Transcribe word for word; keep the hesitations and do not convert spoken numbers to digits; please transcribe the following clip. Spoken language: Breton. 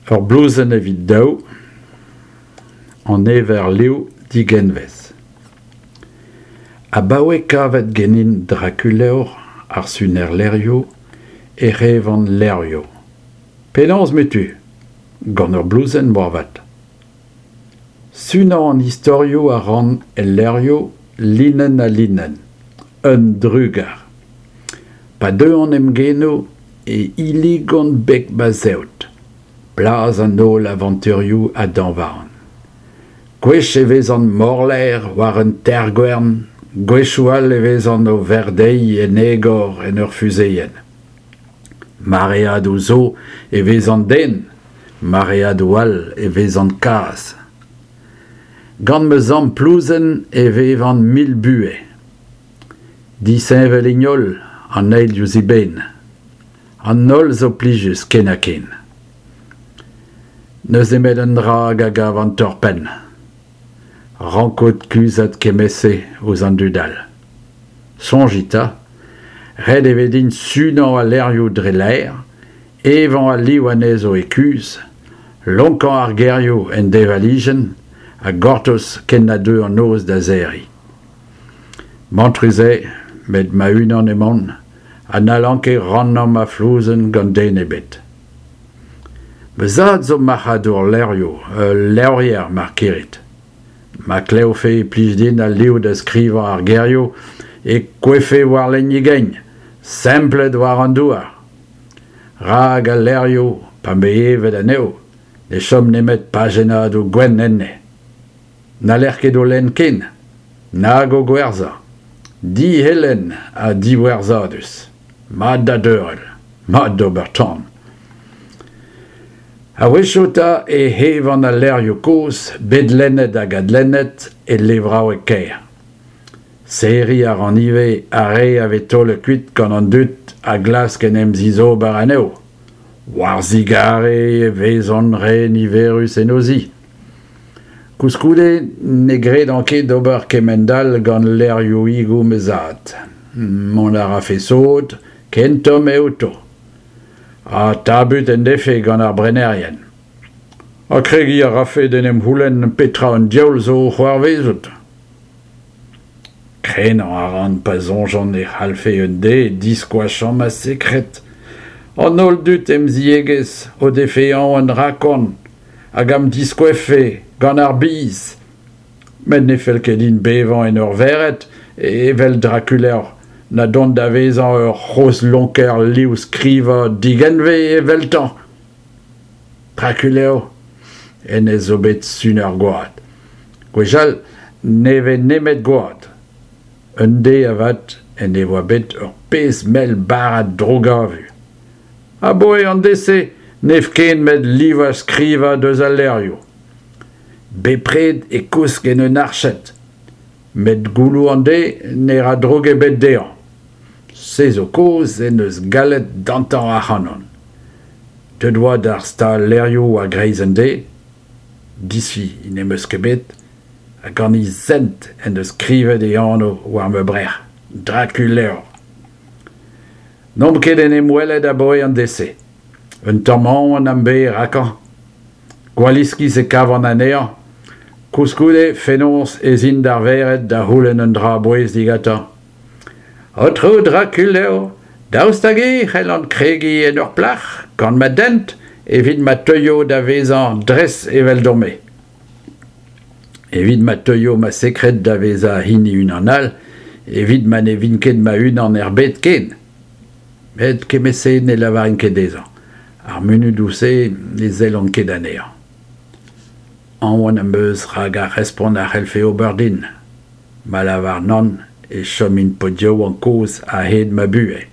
Ur blouzenn evit daou, An ever liv digenvez. Abaoe kavet ganin Drakulevr ar suner levrioù ec'h evan levrioù. Penaos 'metu ? Gant ur blouzenn moarvat. Sunañ an istorioù a ran el levrioù linenn ha linenn. Un drugar. Pa deuont em genoù e hilligont beg ma zeod. Blaz an holl avanturioù a dañvaan. Gwech e vezan morlaer war un teirgwern, gwechoù all e vezan o verdeiñ en egor en ur fuzeenn. Mareadoù zo e vezan den, mareadoù all e vezan kazh. Gant ma zamm plouzenn e vevan mil buhez. Disheñvel int holl an eil diouzh eben. An holl zo plijus ken-ha-ken. N'eus nemet un dra hag a gavan torr-penn. Rankout kuzhat kement-se ouzh an dud all. Soñjit 'ta, ret e vez din sunañ al levrioù dre laer, evañ al liv anezho e kuzh, lonkañ ar gerioù en deñvalijenn ha gortoz ken na deu an noz da serriñ. Mantrus eo, met ma-unan emaon ha n'hallan ket rannañ ma flouzenn gant den ebet. Ma zad zo marc'hadour levrioù, ul levrier mar kirit. Ma klevfe e plij din al liv da skrivañ ar gerioù e kouezhfe war lein e gein, semplet war an douar. Rak al levrioù, pa 'm bez evet anezho, ne chom nemet pajennadoù gwenn enne. N'haller ket o lenn ken, nag o gwerzhañ. Dihelen ha diwerzhadus. Mat da deurel, mat d'ober tan. A-wechoù 'ta ec'h evan al levrioù kozh bet lennet hag adlennet e levraoueg kêr. Serriñ a ran ivez ar re a vez taolet kuit gant an dud a glask en em zizober anezho. War zigarez e vezont re niverus en o zi. Koulskoude ne gredan ket ober kemend-all gant levrioùigoù ma zad. Mont a rafe sot, ken tomm eo outo. Ha tabut en defe gant ar brenerien. Ha kregiñ a rafe d'en em c'houlenn petra an diaoul zo o c'hoarvezout. Krenañ a ran pa soñjan e c'hallfe un deiz diskoachañ ma sekred. An holl dud em ziegezh o defe aon rakon hag am diskouezfe gant ar biz. Met ne fell ket din bevañ en ur vered evel Drakulevr na dont da vezañ ur c'hozh lonker liv-skrivañ digenvez eveltañ. Drakulevr, hennezh zo bet suner gwad. Gwechall n'eve nemet gwad. Un deiz avat en devoa bet ur pezh mell barrad drougavu. Abaoe an deiz-se n'ev ken met livañ-skrivañ deus al levrioù. Bepred e kousk en un arched, met gouloù an deiz ne ra droug ebet dezhañ. Se zo kaoz en deus gallet dantañ ac'hanon. Deuet oa d'ar stal-levrioù a-greiz an deiz, disfi n'em eus ket bet, ha gant e zent en deus skrivet e anv war ma brec'h, Drakulevr. N'omp ket en em welet abaoe an deiz-se. Un tamm aon am bez rakañ. Gwall iskis e kavan anezhañ. Koulskoude fenoz ez in d'ar vered da c'houlenn un dra a-bouez digantañ. Aotrou Drakulevr, daoust hag-eñ e c'hellan kregiñ en ur plac'h gant ma dent evit ma teuio da vezañ dres eveldon-me. Evit ma teuio ma sekred da vezañ hini unan all, evit ma ne vin ket ma-unan er bed ken. Met kement-se ne lavarin ket dezhañ. Ar munudoù-se ne sellan ket anezhañ. Aon am eus rak ar respont a c'hellfe ober din. Ma lavar nann e chomin paotr yaouank kozh a-hed ma buhez.